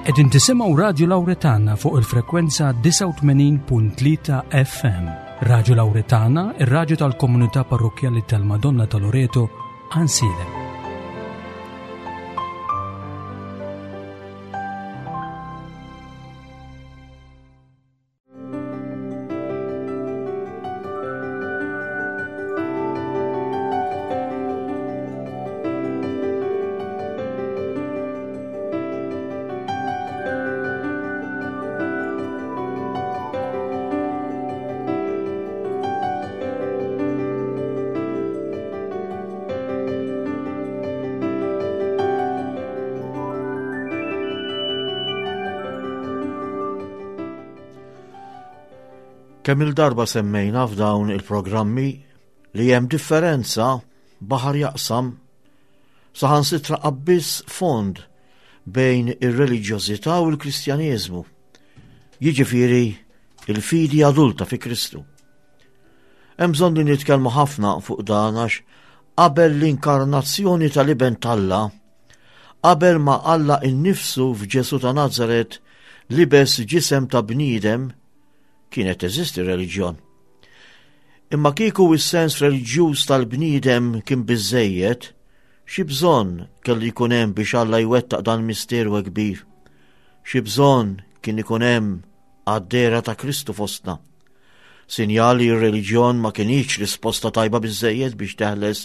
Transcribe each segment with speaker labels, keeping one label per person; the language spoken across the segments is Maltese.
Speaker 1: Qegħdin tisimgħu Radju Lawretana fuq il-frekwenza 89.3 FM. Radju Lawretana, ir-radju tal-komunità parrokkjali tal-Madonna ta' Loreto, Ansilem.
Speaker 2: Kemm il-darba semmejna f'dawn il-programmi li hemm differenza baħar jaqsam saħansitra abbiss fond bejn ir-reliġjożità u l-Kristjaneżmu. Jiġifieri il-fidi adulta fi Kristu. Hemm bżonn li nitkellmu ħafna fuq dan għax qabel l-inkarnazzjoni tal-Iben t'Alla, qabel ma Alla innifsu f'Ġesu ta' Nazaret libes ġisem ta' bniedem, kienet teżisti reliġjon. Imma kieku is-sens reliġjuż tal-bniedem kien biżejjed, xi bżonn kellu jkun hemm biex Alla jwettaq dan misteru kbir. Xi bżonn kien ikun hemm għad-dehra ta' Kristu fostna. Sinjal li r-reliġjon ma kinitx risposta tajba biżżejjed biex teħles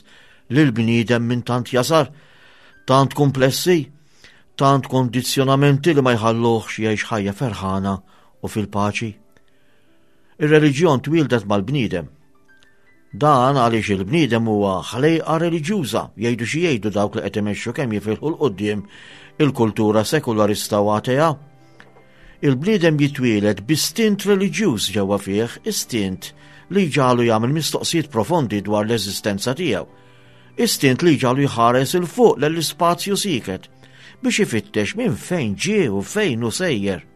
Speaker 2: lill-bniedem minn tant jasar, tant kumplessi, tant kondizzjonamenti li ma jħalluhx jgħix ħajja ferħana u fil-paċi. Ir-reliġjon twieldet mal-bniedem. Dan għaliex il-bniedem huwa ħlejqa reliġjuża, jgħidu xi jgħidu dawk li qed imexxu kemm jifilħu 'l quddiem il-kultura sekularista u atea. Il-bniedem jitwieled b'istint reliġjuż ġewwa fih, istint li jġagħlu jagħmel mistoqsijiet profondi dwar l-eżistenza tiegħu. Istint li jġagħlu jħares 'il fuq lell-ispazju sieket biex ifittex minn fejn ġie u fejn hu sejjer.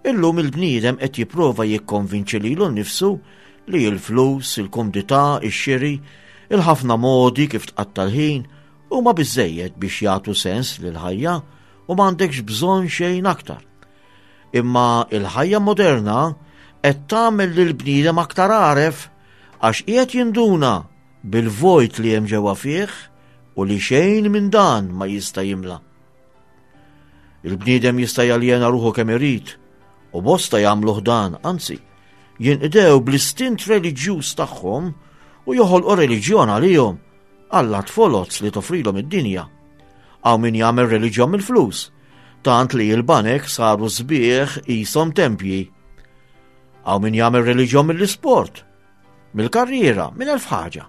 Speaker 2: Illum il-bniedem qed jipprova jikkonvinċi lilu nnifsu li l-flus, il-kumdità, ix-xiri, il-ħafna modi kif tqatta' l-ħin huma biżżejjed biex jagħtu sens lill-ħajja u m'għandekx bżonn xejn aktar. Imma il-ħajja moderna qed tagħmel lill-bniedem aktar għaref għax qiegħed jinduna bil-vojt li hemm ġewwa fih u li xejn minn dan ma jista' jimla. Il-bniedem jista' jaljena ruħu kemm irid u bosta jagħmluh dan, anzi, jinqdew bl-istint reliġjuż tagħhom u joħolqu reliġjon għalihom allat foloz li toffrilhom id-dinja. Hawn min jagħmel reliġjon mill-flus, tant li l-banek saru sbieħ qishom tempji. Hawn min jagħmel reliġjon mill-isport, mill-karriera, minn elf ħaġa.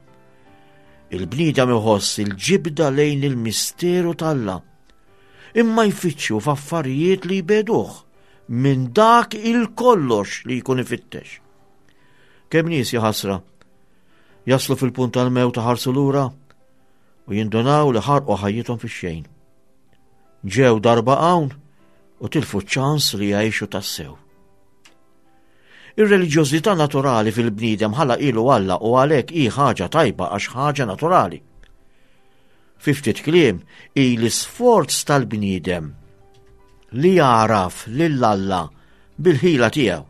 Speaker 2: Il-bniedem iħoss il-ġibda lejn il-misteru t'Alla imma jfittxu f'affarijiet li jbeduh minn dak il-kollox li jkun ifittex. Kemm nies jaħasra jaslu fil-punt tal-mewt ħarsu lura u jindunaw li ħarqu ħajjithom fix-xejn. Ġew darba hawn u tilfu ċans li jgħixu tassew. Ir-reliġjożità naturali fil-bniedem ħala ilu Alla u għalhekk hi ħaġa tajba għax ħaġa naturali. Fi ftit kliem, hi l-isforz tal-bniedem li jagħraf lil Alla bil-ħila tiegħu.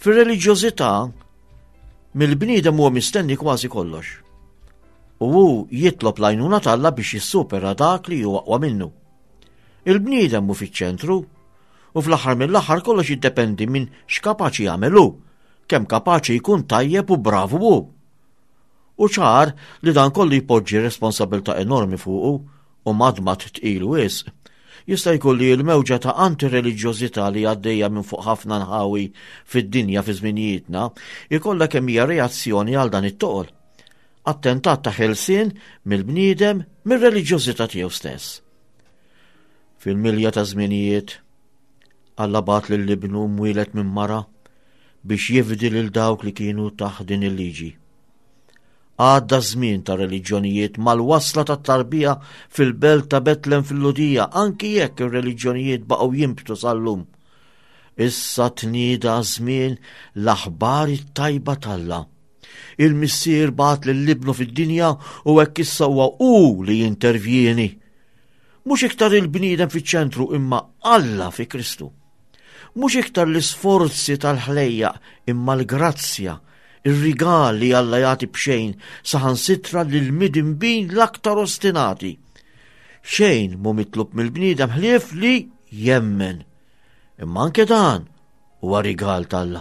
Speaker 2: Fir-reliġjożità, mill-bniedem huwa mistenni kważi kollox. U hu jitlob l-għajnuna t'Alla biex jissupera dak li huwa aqwa minnu. Il-bniedem hu fiċ-ċentru u fl-aħħar mill-aħħar kollox jiddependi minn x'kapaċi jagħmel hu, kemm kapaċi jkun tajjeb u bravu hu. Hu ċar li dan kollu jpoġġi responsabilità enormi fuqu u madmad tqil wisq. Jista' jkun li l-mewġa ta' antireliġjożità li għaddejja minn fuq ħafna nħawi fid-dinja fi żminijietna jkollha kemm hija reazzjoni għal dan it-toqol. Attentat ta' ħelsien mill-bniedem mir-reliġjożità tiegħu stess. Fil-milja ta' żminijiet, Alla bagħat lil ibnu mwieled minn mara biex jifdi lil dawk li kienu taħt din il-liġi. Għadda żmien ta' reliġjonijiet mal-wasla ta' tarbija fil-belt ta' Betlem fil-Ludija, anki jekk ir-reliġjonijiet baqgħu jimbtu sal-lum. Issa tnieda żmien l-aħbar it-tajba t'Alla. Il-Missier bagħat lil ibnu fid-dinja u hekk issa huwa hu li jintervjieni. Mhux iktar il-bniedem fiċ-ċentru imma Alla fi Kristu. Mhux iktar l-isforzi tal-ħlejjaq imma l-grazzja, ir-rigal li Alla jagħti b'xejn saħansitra lill-midinbin l-aktar ostinati. Xejn mhu mitlub mill-bniedem ħlief li jemmen. Imma anke dan huwa rigal t'Alla.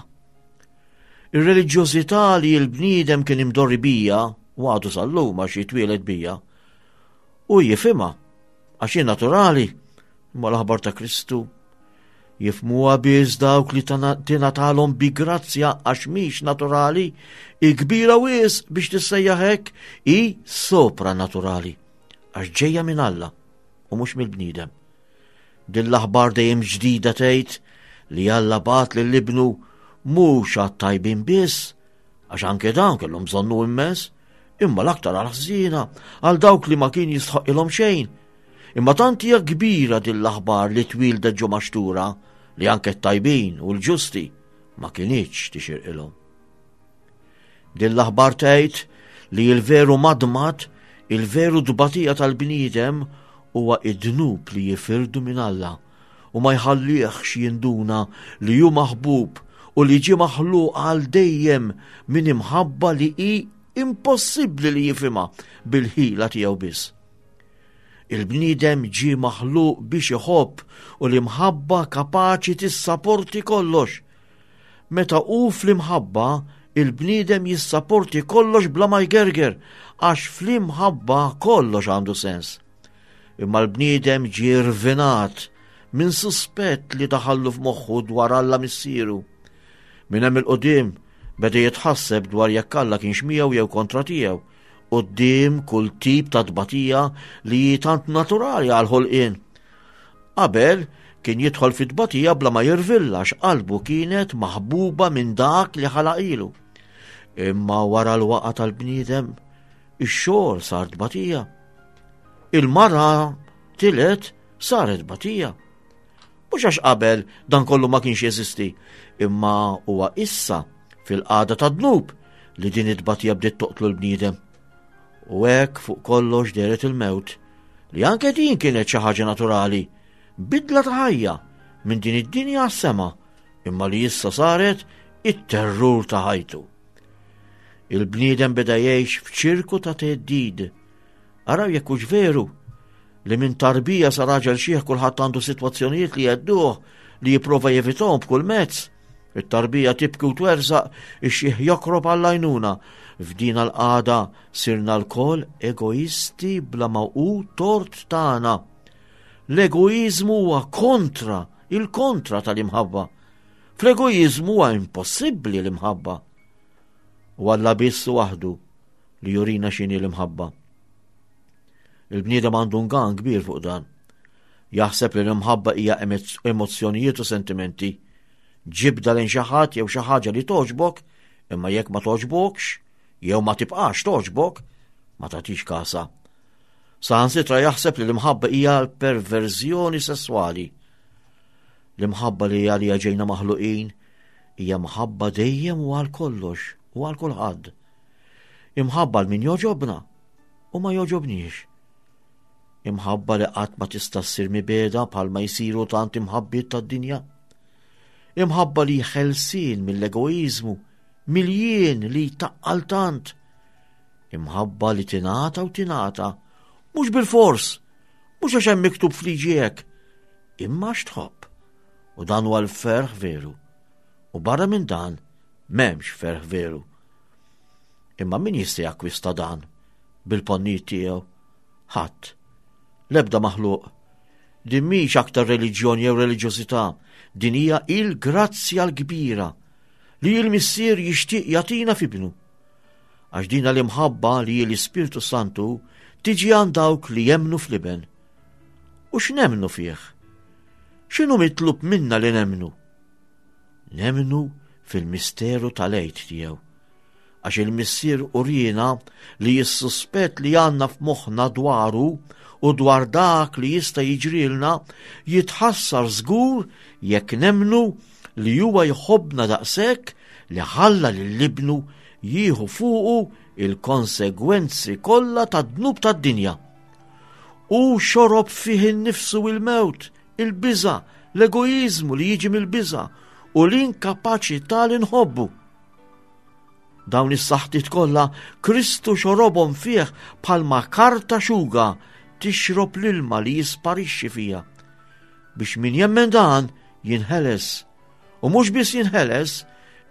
Speaker 2: Ir-reliġjożità li l-bniedem kien imdorri bija, u għadu sal-lum għax jitwieled bija, u jifhimha għax hi naturali, imma l-aħbar ta' Kristu jifmuha biss dawk li tingħatalhom bi grazzja għax mhix naturali, hi kbira wis biex tissejjaħ hekk, hi sopranaturali għax ġejja minn Alla u mhux mill-bniedem. Din l-aħbar dejjem ġdida tgħid li Alla bagħat lil ibnu mhux għat-tajbin biss, għax anke dawn kellhom bżonnu immens, imma l-aktar għal ħżiena, għal dawk li ma kien jistħoqilhom xejn. Imma tant hija kbira din l-aħbar li twildet ġo maxtura li anke t-tajbin u l-ġusti ma kinitx tixirqilhom. Din l-aħbar tgħid li l-veru madmad, il-veru tbatija tal-bniedem huwa id-dnub li jifirdu minn Alla u ma jħallihx jinduna li hu maħbub u li ġie maħluq għal dejjem minn imħabba li hi impossibbli li jifhimha bil-ħila tiegħu biss. Il-bniedem ġie maħluq biex iħobb u l-imħabba kapaċi tissaporti kollox. Meta hu fl-imħabba, il-bniedem jissaporti kollox bla ma jgerger, għax fl-imħabba kollox għandu sens. Imma l-bniedem ġie rvinat minn suspett li daħallu f'moħħu dwar Alla missieru. Minn hemm il-qudiem beda jitħasseb dwar jekk Alla kienx miegħu jew kontra tiegħu, quddiem kull tip ta' tbatija li hi tant naturali għall-ħolqien. Qabel kien jidħol fit-tbatija bla ma jirvilla għax qalbu kienet maħbuba minn dak li ħalaqilu. Imma wara l-waqa tal-bniedem, ix-xogħol sar tbatija. Il-mara tilet saret tbatija. Mhux għax qabel dan kollu ma kienx jeżisti, imma huwa issa fil-qagħda ta' dnub li din it-tbatija bdiet toqtlu l-bniedem. U hekk fuq kollox dehret il-mewt, li anke din kienet xi ħaġa naturali, bidla ta' ħajja minn din id-dinja għas-sema, imma li issa saret it-terrur ta' ħajtu. Il-bniedem beda jgħix f'ċirku ta' theddid. Araw jekk hux veru li minn tarbija sa raġel xieħ kulħadd għandu sitwazzjonijiet li jedduh li jipprova jevitahom b'kull mezz. It-tarbija tibki u twerżaq, ix-xiħ jokrob għall-għajnuna. F'din l-qagħda sirna lkoll egoisti bla ma hu tort tagħna. L-egoiżmu huwa kontra, il-kontra tal-imħabba. Fl-egoiżmu huwa impossibbli l-imħabba. U Alla biss waħdu li jurina x'inhi l-imħabba. Il-bniedem għandu ngan kbir fuq dan. Jaħseb li l-imħabba hija emozzjonijiet u sentimenti. Ġibda lejn xi ħadd jew xi ħaġa li togħġbok, imma jekk ma togħġbokx, jew ma tibqax togħġbok, ma tagħtix kasa. Saħansitra jaħseb li l-imħabba hija l-perverżjoni sesswali. L-imħabba li għalija ġejna maħluqin hija mħabba dejjem u għal kollox u għal kulħadd. Imħabba l min joġobna u ma joġobniex. Imħabba li qatt ma tista' ssir mibeda bħalma jsiru tant imħabbiet tad-dinja. Imħabba li ħelsien mill-egoiżmu, mill-jien li jtaqqal tant. Imħabba li tingħata u tingħata, mhux bil-fors, mhux għax hemm miktub f'liġi hekk, imma għax tħobb. U dan huwa l-ferħ veru. U barra minn dan, m'hemmx ferħ veru. Imma min jista' jakkwista dan bil-ponnijiet tiegħu? Ħadd. L-ebda maħluq. Din mhix aktar reliġjon jew reliġjożità, din hija il-grazzja l-kbira li l-Missier jixtieq jagħtina f'ibnu. Għax dina l-imħabba li l-Ispirtu Santu tiġi għand dawk li jemmnu fl-Iben. U x'nemmnu fih? X'inhu mitlub minna li nemmnu? Nemmnu fil-misteru tal-Għid tiegħu. Għax il-Missier uriena li s-suspett li għandna f'moħħna dwaru u dwar dak li jista' jiġrilna jitħassar żgur jekk nemmnu li huwa jħobbna daqshekk li ħalla lil ibnu jieħu fuqu il-konsegwenzi kollha tad-dnub tad-dinja. Hu xorob fih innifsu il-mewt, il-biża', l-egoiżmu li jiġi mill-biża' u l-inkapaċità li nħobbu. Dawn is-saħtiet kollha Kristu xorobhom fih bħalma karta xuga tixrob l-ilma li jisparixxi fiha. Biex min jemmen dan jinħeles. U mhux biss jinħeles,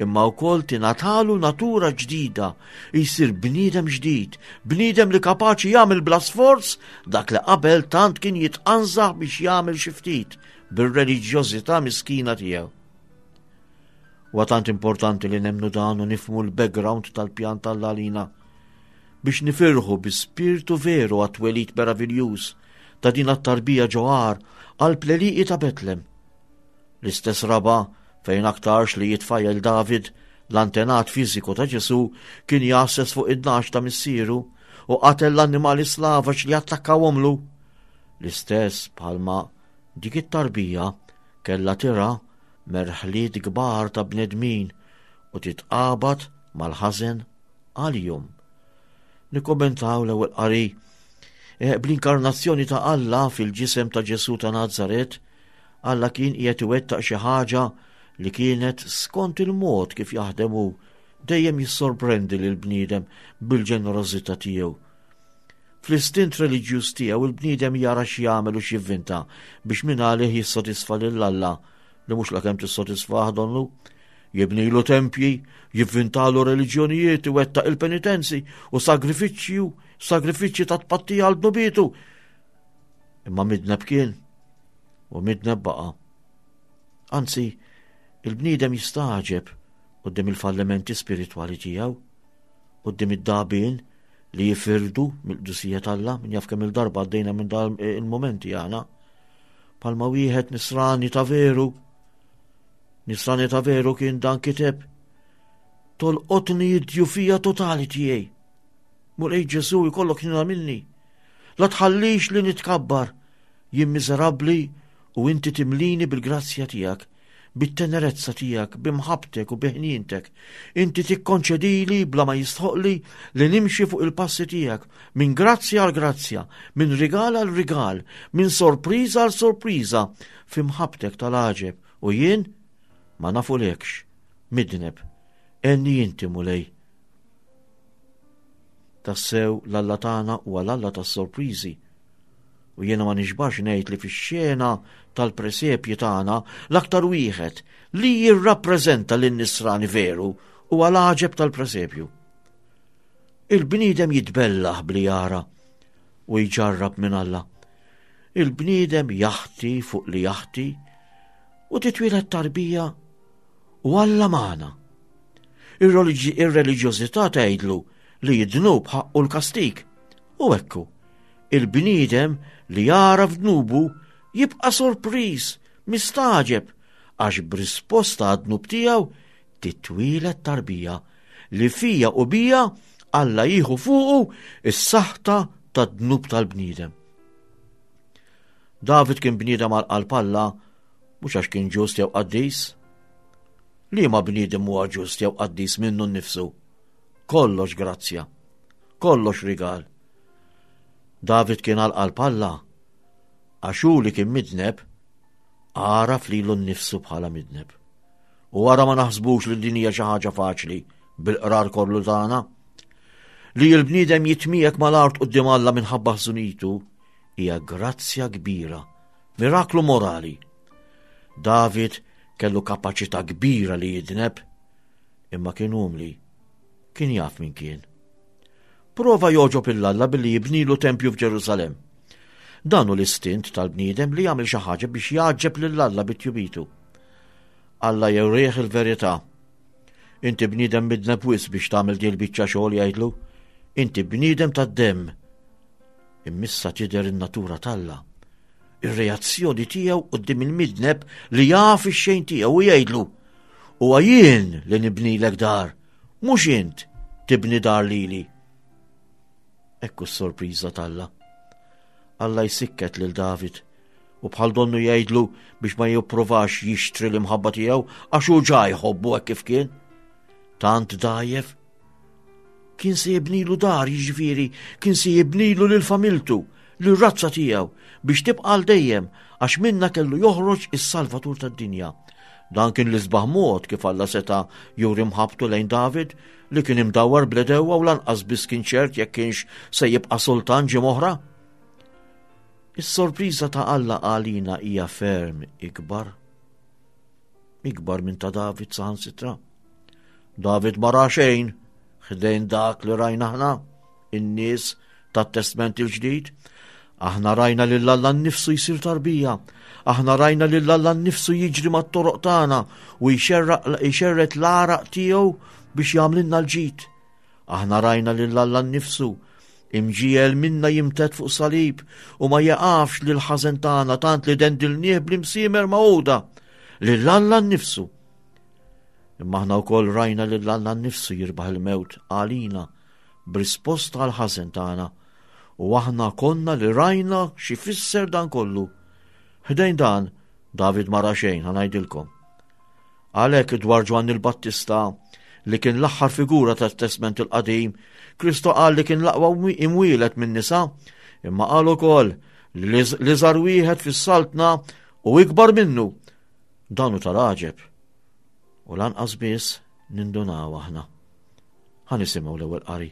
Speaker 2: imma wkoll tingħatalu natura ġdida, jsir bniedem ġdid, bniedem li kapaċi jagħmel bla sforz dak li qabel tant kien jitqanżaħ biex jagħmel xi ftit bir-reliġjożità miskina tiegħu. Huwa tant importanti li nemmnu dan u nifhmu l-background tal-pjan tal-għalina biex nifirħu bi spirtu veru għat-twelid meraviljuż ta' din għat-tarbija ġoħar għal pleliqi ta' Betlem. L-istess raba fejn aktarx li jitfajjel David, l-antenat fiżiku ta' Ġesu, kien jgħasses fuq id-nax ta' missieru u qatel l-annimali slavaġ li attakkawhomlu. L-istess bħalma dik it-tarbija kellha tira merħliet kbar ta' bnedmin u titqabad mal-ħażen għalihom. Nikkommentaw l-ewwel qari eh, bl-inkarnazzjoni ta' Alla fil-ġisem ta' Ġesu ta' Nazaret, Alla kien qiegħed iwettaq xi ħaġa li kienet skont il-mod kif jaħdem hu dejjem jissorprendi lil bniedem bil-ġenerożità tiegħu. Fl-istint reliġjuż tiegħu il-bniedem jara x'jagħmel u x'jivvinta biex minn għalih jissodisfa lil Alla li mhux lakemm tissodisfah donnu. Jibnilu tempji, jivvintalu reliġjonijiet, iwettaq il-penitenzi u sagrifiċċju, sagrifiċċji ta' tpattija għal dnubietu. Imma midneb kien u midneb baqa'. Anzi, il-bniedem jistagħġeb quddiem il-fallimenti spiritwali tiegħu, quddiem id-dagħbien li jifirdu mill-qdusija t'Alla, min jaf kemm il-darba għaddejna minn dan il-momenti aħna. Palma wieħed nisrani ta' veru, nisrani ta' veru kien dan kiteb, tolqotni id-djufija totali tiegħi. Mulej Ġesu jkollok ħnina minni. La tħallix li nitkabbar, jien miżerabbli u inti timlini bil-grazzja tiegħek, bit-tenerezza tiegħek, b'imħabbtek u bi ħnientek. Inti tikkonċedili bla ma jistħoqli li nimxi fuq il-passi tiegħek, minn grazzja għal grazzja, minn rigal għal rigal, minn sorpriża għal sorpriża, fi mħabbtek tal-għaġeb, u jien ma nafulekx, midneb, għenni inti Mulej. Tassew l-Alla tagħna huwa l-Alla tas-sorpriżi. U jiena ma nixbax ngħid li fix-xena tal-presepji tagħna l-aktar wieħed li jirrappreżenta lin-nisrani veru huwa l-għaġeb tal-presepju. Il-bniedem jitbellaħ bli jara u jġarrab minn Alla. Il-bniedem jaħti fuq li jaħti u titwieled tarbija u Alla magħna. Ir-reliġjożità tgħidlu li d-dnub ħaqqu l-kastig. U ekku, il-bniedem li jara f'dnubu jibqa' sorpriż, mistagħġeb, għax b'risposta għad-dnub tiegħu titwieled tarbija li fija u bija Alla jieħu fuqu is-saħta tad-dnub tal-bniedem. David kien bniedem għal qalb Alla mhux għax kien ġust jew qaddis. Liema bniedem huwa ġust jew qaddis minnu nnifsu? Kollox grazzja, kollox rigal. David kien għal qalb Alla għax hu li kien midneb għaraf lilu nnifsu bħala midneb. U wara ma naħsbux li din hija xi ħaġa faċli bil-qrar kollu tagħna. Li l-bniedem jitmiegħek mal-art quddiem Alla minħabba ħżunitu hija grazzja kbira, miraklu morali. David kellu kapaċità kbira li jidneb, imma kien umli, kien jaf min kien. Prova jogħġob 'il Alla billi jibnilu tempju f'Ġerusalemm. Dan hu l-istint tal-bniedem li jagħmel xi ħaġa biex jgħaġġeb lil Alla bi tjubitu. Alla jurih il-verità. Inti bniedem midneb wisq biex tagħmel din il-biċċa xogħol jgħidlu. Inti bniedem tad-demm. Immissa tidher in-natura t'Alla. Ir-reazzjoni tiegħu quddiem il-midneb li jaf ix-xejn tiegħu u jgħidlu. Huwa jien li nibnilek dar, mhux int tibni dar lili. Ekku s-sorpriża t'Alla. Alla jsikket lil David u bħal donnu jgħidlu biex ma jipprovax jixtri l-imħabba tiegħu għax hu ġa jħobbu hekk kif kien. Tant dajjef. Kien se jibnilu dar, jiġifieri, kien se jibnilu lil familtu, lir-razza tiegħu biex tibqa' għal dejjem għax minnha kellu joħroġ is-Salvatur tad-dinja. Dan kien l-isbaħ mod kif Alla seta' juri mħabbtu lejn David li kien imdawwar bl-għedewwa u lanqas biss kien ċert jekk kienx se jibqa' sultan ġimgħa oħra. Is-sorpriża ta' Alla għalina hija ferm ikbar. Ikbar minn ta' David saħansitra. David ma ra xejn ħdejn dak li rajna aħna, in-nies tat-Testment il-Ġdid. Aħna rajna lil Alla nnifsu jsir tarbija. Aħna rajna lil Alla nnifsu jiġri mat-toroq tagħna u jxerred l-għaraq tiegħu biex jagħmlilna l-ġid. Aħna rajna lil Alla nnifsu imġiegħel minna jimtedd fuq salib u ma jeqafx lil ħażen tagħna tant li dendilnieh bl-imsiemer magħquda lil Alla nnifsu. Imma aħna wkoll rajna lil Alla nnifsu jirbaħ il-mewt għalina b'risposta għal ħażen tagħna u aħna konna li rajna xi fisser dan kollu. Ħdejn dan, David ma ra xejn, ħa ngħidilkom. Għalhekk dwar Ġwanni l-Battista li kien l-aħħar figura tat-Testment il-Qadim, Kristu qal li kien l-aqwa imwielet minn nisa, imma qal ukoll li l-iżgħar wieħed fis-saltna u ikbar minnu. Dan hu tal-għaġeb. U lanqas biss nindunaw aħna. Ħa nisimgħu l-ewwel qari.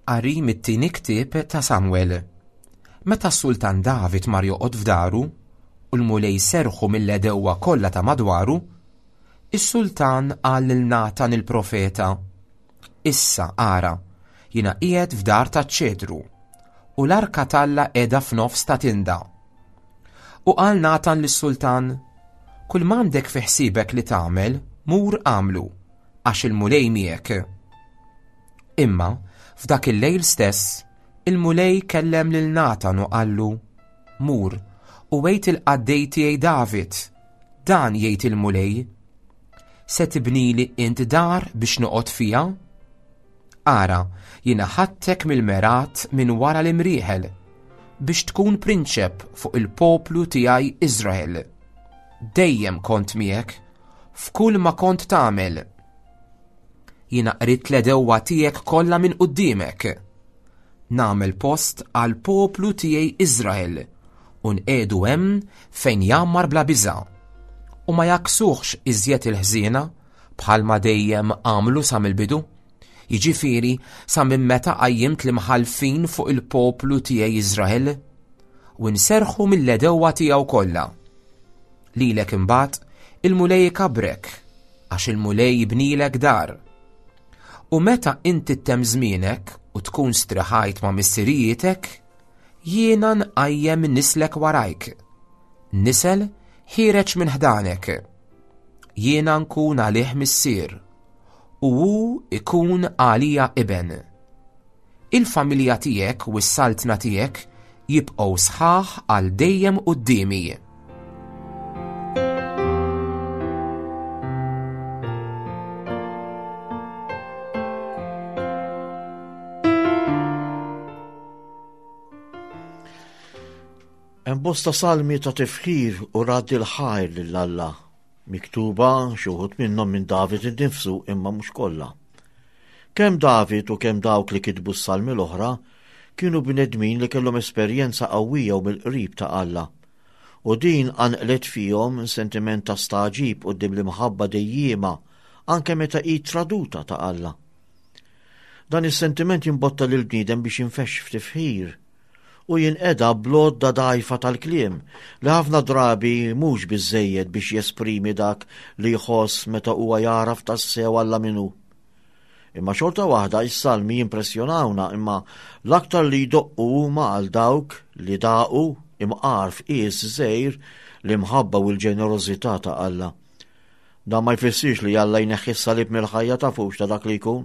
Speaker 3: Qari mit-tieni ktieb ta' Samwel. Meta s-sultan David mar joqgħod f'daru, u l-Mulej serħu mill-għedewwa kollha ta' madwaru, is-sultan qal lil Natan il-profeta, Issa, ara, jiena qiegħed f'dar taċ-ċedru, u l-arka t'Alla qiegħda f'nofs ta' tinda. U qal Natan lis-sultan, Kull m'għandek fi ħsiebek li tagħmel, mur agħmlu, għax il-Mulej miegħek. Imma, f'dak il-lejl stess, il-Mulej kellem lil Natan u qallu, Mur, u għid il-qaddej tiegħi David, dan jgħid il-Mulej, Se tibnili int dar biex noqgħod fiha? Ara, jiena ħadtek mill-mergħat minn wara l-imrieħel biex tkun prinċep fuq il-poplu tiegħi Iżrael. Dejjem kont miegħek f'kull ma kont tagħmel. Jiena qridt l-għedewwa tiegħek kollha minn quddiemek. Nagħmel post għall-poplu tiegħi Iżrael u nqiegħdu hemm fejn jgħammar bla biża', u ma jgħakksuhx iżjed il-ħżiena bħalma dejjem għamlu sa mill-bidu, jiġifieri sa minn meta qajjimt l-imħallfin fuq il-poplu tiegħi Iżrael, u nserrħu mill-għedewwa tiegħu kollha. Lilek imbagħad il-Mulej ikabbrek, għax il-Mulej jibnilek dar. U meta inti ttemm żmienek u tkun striħajt ma' missirijietek, jiena nqajjem nislek warajk, nisel ħiereġ minn ħdanek. Jiena nkun għalih missier, u hu ikun għalija iben. Il-familja tiegħek u s-saltna tiegħek jibqgħu sħaħ għal dejjem quddiemi.
Speaker 2: Hemm bosta salmi ta' tifħir u radd il-ħajr lil Alla, miktuba xi wħud minnhom minn David innifsu imma mhux kollha. Kemm David u kemm dawk li kitbu s-salmi l-oħra kienu bnedmin li kellhom esperjenza qawwija u mill-qrib ta' Alla. U din qanqlet fihom sentiment ta' stagħġib quddiem l-imħabba dejjiema anke meta hi traduta ta' Alla. Dan is-sentiment jimbotta lill-bniedem biex jinfexx f'tifħir u jinqeda bl-għodda dgħajfa tal-kliem li ħafna drabi mhux biżżejjed biex jesprimi dak li jħoss meta huwa jagħraf tassew Alla min hu. Imma xorta waħda is-salmi jimpressjonawna imma l-aktar li jdoqqu huma għal dawk li daqu imqar f'qies żgħir l-imħabba u l-ġenerożità ta' Alla. Dan ma jfissirx li Alla jneħħi s-salib mill-ħajja tafux ta' dak li jkun.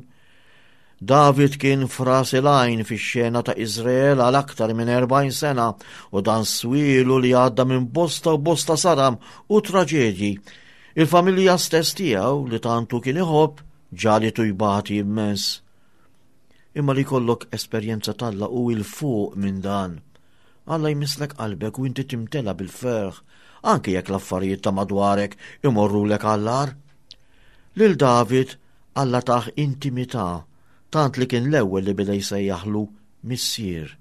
Speaker 2: David kien f'ras il-għajn fix-xena ta' Iżrael għal aktar minn 40 sena u dan swielu li għadda minn bosta u bosta saram u traġedji. Il-familja stess tiegħu li tantu kien iħobb ġalitu jbati immens. Imma li jkollok esperjenza t'Alla hu 'il fuq minn dan. Alla jmisslek qalbek u inti timtela bil-ferħ. anki jekk l-affarijiet ta' madwarek imorrulek għall-agħar. Lil David Alla tah intimità tant li kien l-ewwel li beda jsejjaħlu Missier.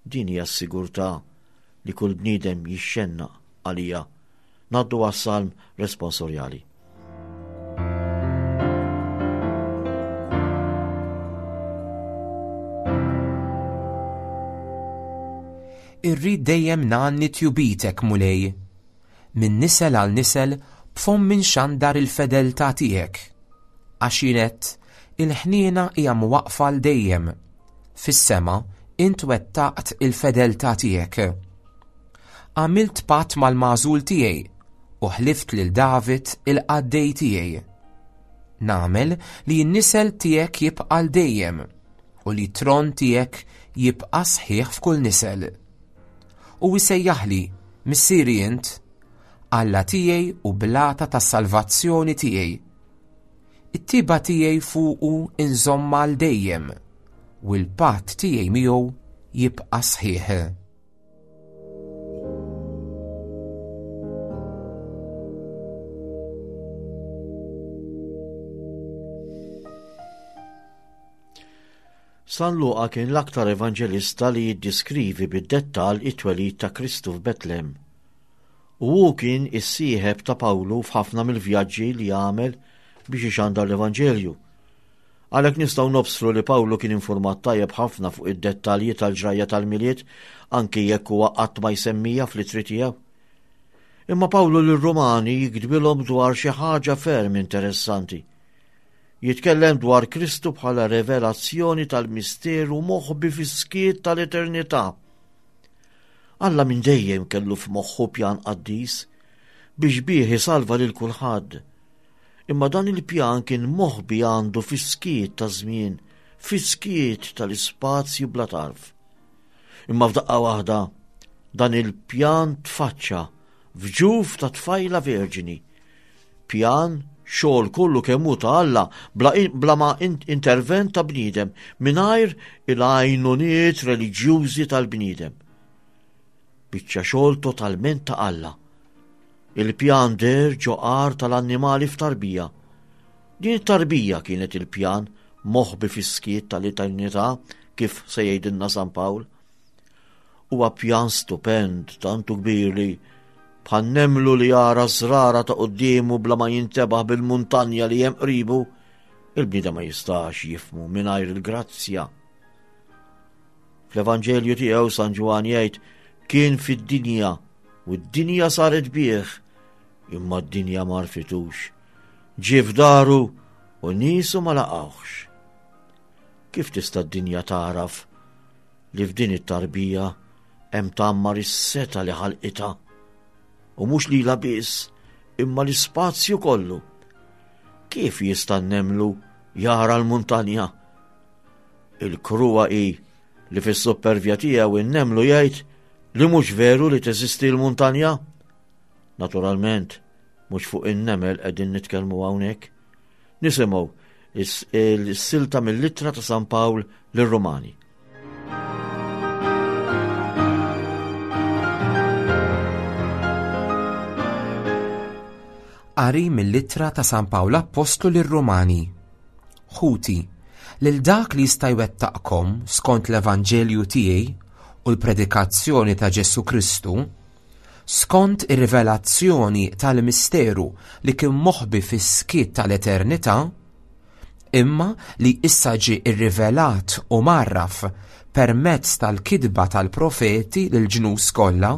Speaker 2: Din hija s-sigurtà li kull bniedem jixxennaq għaliha. Ngħaddu għas-salm responsorjali.
Speaker 3: Irrid dejjem ngħanni tjubitek, Mulej. Minn nisel għal nisel b'fommi nxandar il-fedeltà tiegħek. Għax jien għedt, il-ħniena hija mwaqqfa għal dejjem. Fis-sema int wettaqt il-fedeltà tiegħek. Għamilt patt mal-magħżul tiegħi u ħlift lil David il-qaddej tiegħi. Nagħmel li n-nisel tiegħek jibqa' għal dejjem u li t-tron tiegħek jibqa' sħiħ f'kull nisel. U jsejjaħli, Missieri int, Alla tiegħi u blata tas-salvazzjoni tiegħi. It-tiba tiegħi fuqu inżommha għal dejjem u l-patt tiegħi miegħu jibqa' sħiħ.
Speaker 2: San Luqa kien l-aktar evanġelista li jiddiskrivi bid-dettall it-twelid ta' Kristu f'Betlem. U hu kien is-sieħeb ta' Pawlu f'ħafna mill-vjaġġi li għamel biex ixandar l-Evanġelju. Għalhekk nistgħu nobsru li Pawlu kien infurmat tajjeb ħafna fuq id-dettalji tal-ġrajja tal-Milied anki jekk huwa qatt ma jsemmija fl-ittri tiegħu. Imma Pawlu lir-Rumani jiktbilhom dwar xi ħaġa ferm interessanti. Jitkellem dwar Kristu bħala revelazzjoni tal-misteru moħbi fis-skiet tal-eternità. Alla minn dejjem kellu f'moħħu pjan qaddis biex bih isalva lil kulħadd. Imma dan il-pjan kien moħbi għandu fis-skiet taż-żmien, fis-skiet tal-ispazju bla tarf. Imma f'daqqa waħda dan il-pjan tfaċċa f'ġuf ta' tfajla verġini. Pjan xogħol kollu kemm hu ta' Alla bla, bla ma intervent ta' bniedem mingħajr il-għajnuniet reliġjużi tal-bniedem. Biċċa xogħol totalment ta' Alla. Il-pjan deher ġo għar tal-annimali f'tarbija. Din it-tarbija kienet il-pjan moħbi fis-skiet tal-eternità kif se jgħidilna San Pawl. Huwa pjan stupend tantu kbir li bħal nemlu li jara żrara ta' quddiemu bla ma jintebaħ bil-muntanja li hemm qribu, il-bniedem ma jistax jifmu mingħajr il-grazzja. Fl-Evanġelju tiegħu San Ġwann jgħid kien fid-dinja U d-dinja saret bih, imma d-dinja ma għarfitux. Ġie f'daru u niesu ma laqgħuhx. Kif tista' d-dinja tagħraf li f'din it-tarbija hemm tgħammar is-setgħa li ħalqitha? U mhux lilha biss, imma l-ispazju kollu. Kif jista' nemlu jara l-muntanja? Il-kruha hi li fis-suppervja tiegħu in-nemlu jgħid li mhux veru li teżisti l-muntanja? Naturalment, mhux fuq in-nemel qegħdin nitkellmu hawnhekk. Nisimgħu is-silta mill-ittra ta' San Pawl lir-Rumani.
Speaker 3: Qari mill-ittra ta' San Pawl Appostlu lir-Rumani. Ħuti, lil dak li jista' jwettaqkom skont l-Evanġelju tiegħi u l-predikazzjoni ta' Ġesù Kristu, skont ir-rivelazzjoni tal-misteru li kien moħbi fis-skiet tal-eternità, imma li issa ġie rrivelat u mgħarraf permezz tal-kitba tal-profeti lill-ġnus kollha,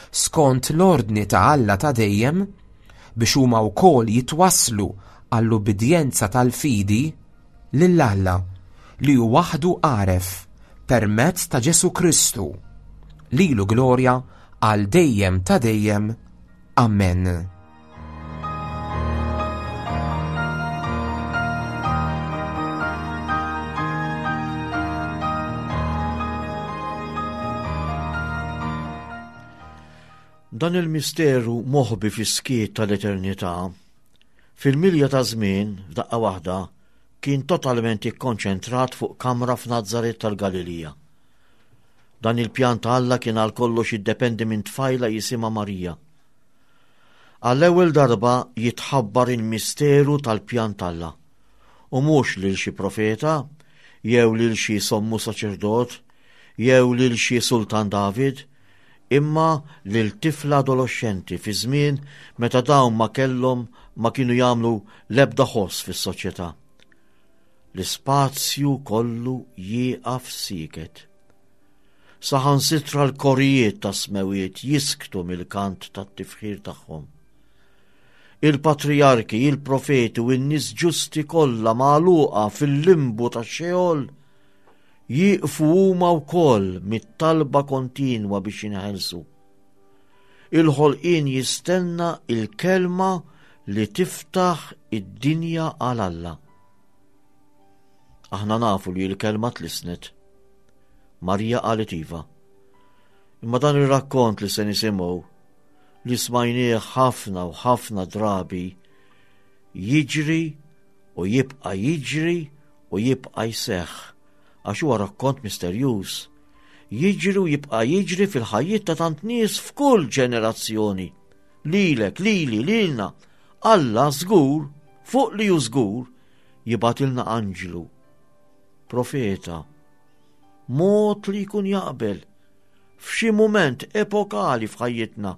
Speaker 3: skont l-ordni ta' Alla ta' dejjem, biex huma wkoll jitwasslu għall-ubbidjenza tal-fidi lil Alla li hu waħdu għaref permezz ta' Ġesù Kristu. Lilu glorja għal dejjem ta' dejjem. Amen.
Speaker 2: Dan il-misteru moħbi fis-skiet tal-eternità, fil-milja ta' żmien, f'daqqa waħda, kien totalment ikkonċentrat fuq kamra f'Nazaret tal-Galilija. Dan il-pjan ta' Alla kien għal kollox jiddependi minn tfajla jisimha Marija. Għall-ewwel darba jitħabbar il-misteru tal-pjan t'Alla, u mhux lil xi profeta, jew lil xi sommu saċerdot, jew lil xi sultan David, imma lil tifla adoloxxenti fi żmien meta dawn ma kellhom ma kienu jagħmlu l-ebda ħoss fis-soċjetà. L-ispazju kollu jieqaf sieket. Saħansitra l-korijiet tas-smewwiet jisktu mill-kant tat-tifħir tagħhom. Il-patrijarki, il-profeti u n-nies ġusti kollha magħluqa fil-limbu tax-Xeol jieqfu huma wkoll mit-talba kontinwa biex jinħelsu. Il-ħolqien jistenna il-kelma li tiftaħ id-dinja għal Alla. Aħna nafu li l-kelma tlisnet. Marija qalet iva. Imma dan ir-rakkont li se nisimgħu li smajnieh ħafna u ħafna drabi jiġri u jibqa' jiġri u jibqa' jseħħ għax huwa rakkont misterjuż. Jiġri u jibqa' jiġri fil-ħajjiet ta' tant nies f'kull ġenerazzjoni. Lilek, lili, lilna. Alla żgur, fuq li hu żgur, jibgħatilna anġlu, profeta, mod li jkun jaqbel f'xi mument epokali f'ħajjitna,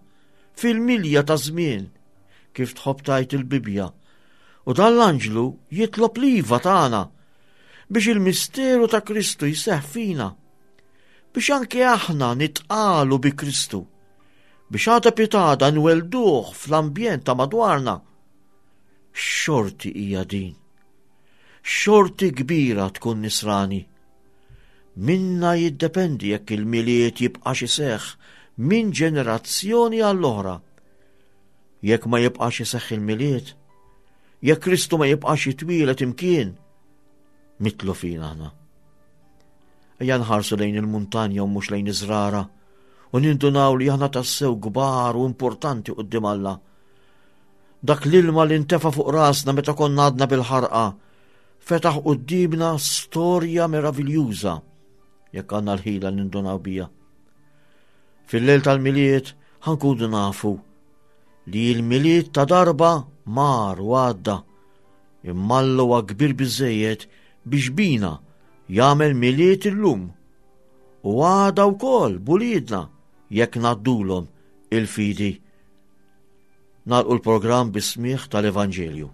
Speaker 2: fil-milja ta' żmien, kif tħobb tgħid il-Bibbja. U dan l-anġlu jitlob l-iva tagħna biex il-misteru ta' Kristu jseħħ fina, biex anke aħna nitqalu bi Kristu, biex għada pitada nwelduh fl-ambjent ta' madwarna. X'xorti hija din! X'xorti kbira tkun nisrani! Minna jiddependi jekk il-Milied jibqax iseħħ minn ġenerazzjoni għall-oħra. Jekk ma jibqax iseħħ il-Milied, jekk Kristu ma jibqax jitwielet imkien, mitlu fina aħna. Ejja nħarsu lejn il-muntanja u mhux lejn iż-żrara u nindunaw li aħna tassew kbar u importanti quddiem Alla. Dak l-ilma li ntefa' fuq rasna meta konna għadna bil-ħarqa fetaħ quddiemna storja meraviljuża jekk għandna l-ħila nindunaw bija. Fil-lejl tal-Milied ħankunu nafu li l-Milied ta' darba mar u għadda imma Alla huwa kbir biżejjed biex bina jagħmel Milied illum u għada wkoll buliedna jekk ngħaddulhom il-fidi. Nagħlqu l-programm bis-smigħ tal-Evanġelju.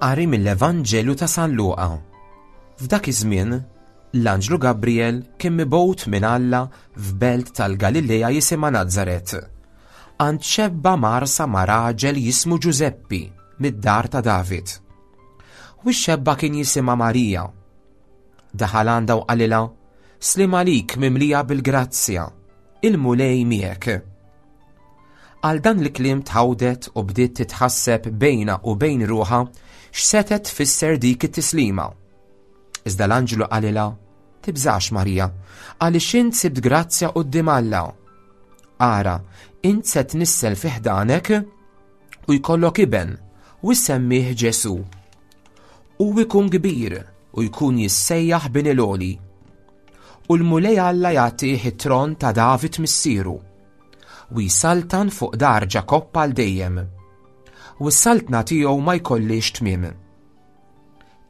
Speaker 3: Qari mill-Evanġelju ta' San Luqa. F'dak iż-żmien, l-anġlu Gabriel kien mibgħut minn Alla f'belt tal-Galilea jisimha Nazaret għand xebba mgħarrsa ma' raġel jismu Ġużeppi mid-dar ta' David. U x-xebba kien jisimha Marija. Daħal għandha u qalilha, Slim għalik mimlija bil-grazzja, il-Mulej miegħek. Għal dan il-kliem tħawdet u bdiet titħasseb bejna u bejn ruħha x'setet tfisser dik it-tislima. Iżda l-anġlu qalilha, Tibżax Marija, għaliex int sibt grazzja quddiem Alla. Ara, int se tnissel fi ħdanek u jkollok iben u ssemmih Ġesù. U jkun kbir u jkun jissejjaħ bin il-għoli. U l-Mulej Alla jagħtih it-tron ta' David missieru u jsaltan fuq dar Ġakobb għal dejjem. U s-saltna tiegħu ma jkollix tmiem.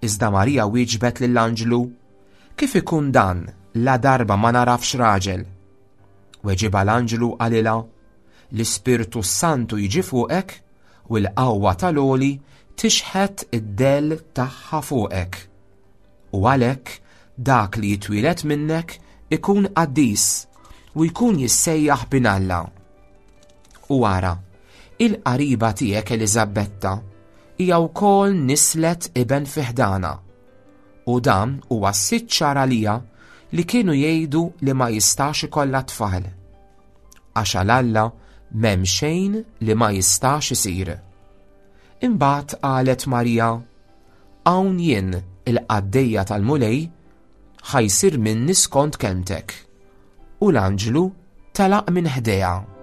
Speaker 3: Iżda Marija wieġbet lill-anġlu, Kif ikun dan la darba ma narafx raġel? Weġibha l-anġlu qalilha, L-Ispirtu s-Santu jiġi fuqek u l-qawwa tal-Għoli tixħet id-dell tagħha fuqek. U għalhekk dak li jitwieled minnek ikun qaddis u jkun jissejjaħ bin Alla. U ara, il-qariba tiegħek Eliżabetta hija wkoll nislet iben fi ħdana. U dan huwa s-sitt xahar għalija li kienu jgħidu li ma jistax ikollha tfal. Għax għal Alla m'hemm xejn li ma jistax isir. Imbagħad qalet Marija, Hawn jien il-qaddejja tal-Mulej ħa jsir minni skont kelmtek. U l-anġlu telaq minn ħdejha.